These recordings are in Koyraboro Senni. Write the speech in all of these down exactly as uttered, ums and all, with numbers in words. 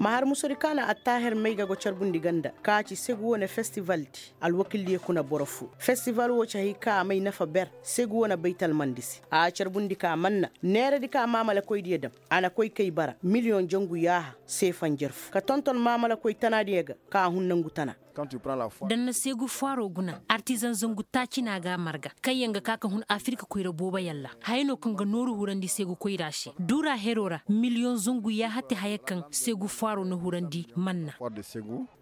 Ma har musodi ka na attaaher may ga go carbundi ganda ka ci segu wane festivaldi. Alwakildiyo kuna boro fo festival wo ci hay ka a may nafa ber segu wane baytalmandi se. A carbundi ka manna neeradi ka maamalakoydiyo dam. A na koy kay bara miliyoŋ jangu yaaha seefanjar fo ka tonton maamalakoy tanaadiyo ga ka hun nangu tana. Da na seegu faaro guna artizaŋ zangu taaci na a ga a marga kaŋyaŋ ga ka ka hun afirka koyra booboyaŋ ra. Haya no kaŋ ga nooru hurandi seegu koyra se duura hero ra miliyoŋ zangu yaahati haya kaŋ seegu faaro na hurandi manna.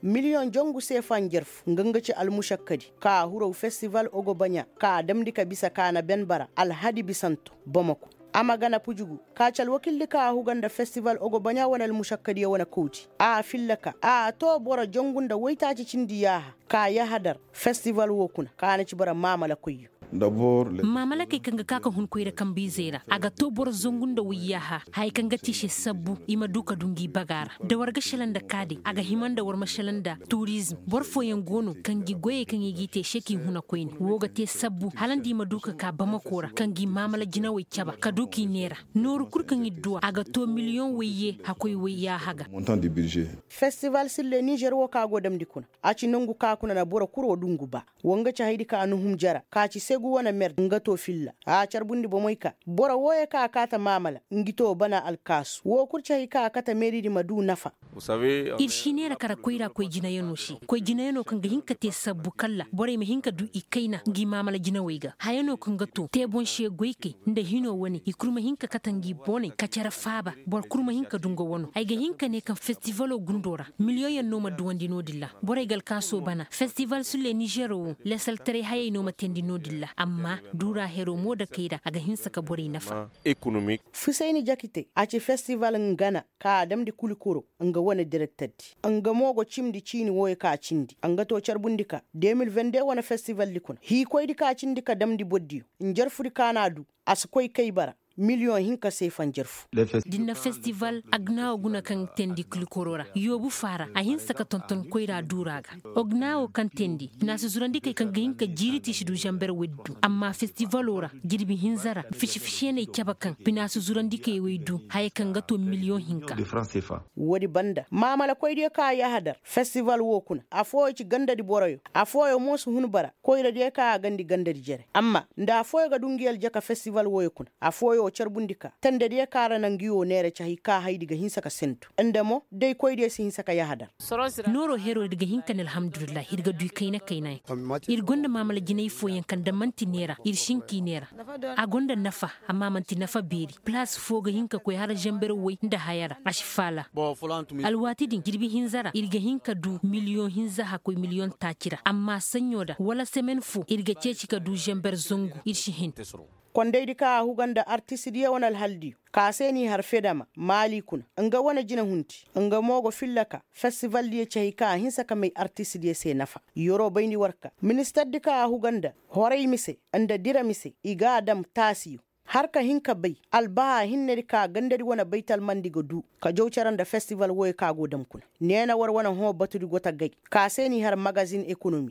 Miliyoŋ jangu seefa njarfu nga nga ci almušakkadi ka a huraw festival ogobaɲa ka a damndi ka bisa ka na ben bara alhadi bisanto bamako. A ma gana pujugu ka ci alwakildi ka a huga nda festival ogobaɲa wane almušakkadiyo wane kawti a filla ka a too boro jangu nda woytaaci cindi yaaha ka yahadar festival woo kuna ka na ci bara maamalakoyyo. Maamalakey kaŋ ga ka ka hun koyra kambe-izey ra a ga too boro zangu nda woy yaaha haya kaŋ ga te i se sabbu i ma du ka du ngi baga ra. Da war ga šelaŋ nda kaadey a ga hima nda war ma šelaŋ nda turizm boro fooyaŋ go no ka ngi goyey kaŋ i g'i te i se k'i huna koyne woo ga te sabbu hala nda i ma du ka ka bamako ra ka ngi maamala jinawey caba ka du k'i neera. Nooru kul kaŋ ir duw'a a ga too miliyoŋ woyye hakkoy woyya haga. Festival sille nizer wo ka go damndi kuna a ci nongu ka kuna na boro kul wo dungu ba. Wo nga ci haydi ka nuhum jara ka ci segu wane mer nga too filla a carbundi bomey ka boro wooyo ka a kaata maamala ngi too bana alkaasu woo kul ci hay ka a kate meeridi ma duu nafa. Ir si neera kara koyra koy jinayanoo se koy jinayanoo kaŋ ga hin ka tee sabbu kalla borey ma hin ka duu i kayna ngi maamala jinawey ga haya no kaŋ ga too tee boŋ se goykey nda hinoo wane i kul ma hin ka kate ngi booney ka cere faaba. Boro kul ma hin ka duu nga wanoo ay ga hin ka nee kaŋ festivaloo gundoo ra miliyoŋyaŋ no ma duwandi no-din ra. Borey ga alkaasoo bana festival sulle nizeeroo woo lesaltaray hayey no ma teendi no-din ra amma duuraa heroo moo dakey ra a ga hinsa ka borey nafa. Fisayni jakite a ci festival ngana ka a damndi kulikoro nga wane direkterdi nga mo go cimndi ciini wooyo ka cindi nga too carbundi ka de mil vende wane festivaldi kuna hiikoydi ka cindi ka damndi bordiyo njarfudi ka na a duu a si koy kay bara miliyoŋ hinka seefa njarfu. Da ni na festival agnawo guna kaŋ teendi kulikoro ra yoobu faara a hinsa ka tonton koyra duura ga. Ognawo kaŋ teendi finaasi zurandikey kaŋ ga hin ka jiiri tiisi du zamber woy du amma festivalo ra jirbi hinza ra fisi-fisiyaney cabe kaŋ finaasi zurandikey woy du haya kaŋ ga too miliyoŋ hinka. Woodi banda maamalakoydiyo kaŋ a yahadar festival woo kuna afooyo ci gandadi boroyo afooyo mo si hun bara koyradiyo kaŋ a gandi gandadi jere amma nda afooyo ga duu ngi aljaka festival wooyo kuna afooyo carbundi ka tendediyo kaŋ a ra na ngi woo neera ci hay ka haydi ga hinsa ka sentu nda mo day koydiyo si hinsa ka yahadar. Nooroo heroo ir ga hin ka ne alhamdulillahi ir ga duu i kayna-kayna yaŋ. Ir gonda maamala jinay fooyaŋ kaŋ da man'ti neera ir si hin k'i neera. A gonda nafa amma a man'ti nafa beeri palaas foo ga hin ka koy hala zamber woy nda haya ra a si faala. Alwaati din jirbi hinza ra ir ga hin ka duu miliyoŋ hinza hakkoy miliyoŋ taaci ra amma saɲɲo ra wala semen foo ir ga ceeci ka duu zamber zangu ir si hin. Kondaydi kaŋ a huga nda artistidiyo wane alhaldiyo ka se n'i har fedama maali kuna nga wane jinehunti nga mo go filla ka festivaldiyo ci hay kaŋ a hinsa ka may artistidiyo se nafa. Yeroo bayndi war ka ministardi kaŋ a huga nda horay mise nda dira mise i g'a dam taasiyo har ka hin ka bay albahaa hinnedi kaŋ a gandadi wane baytalmandi ga duu ka jaw cere nda festival wooyo kaŋ a go dam kuna. Neena war wane hõ batudi go ta gay ka se n'i har magazin ekonomi.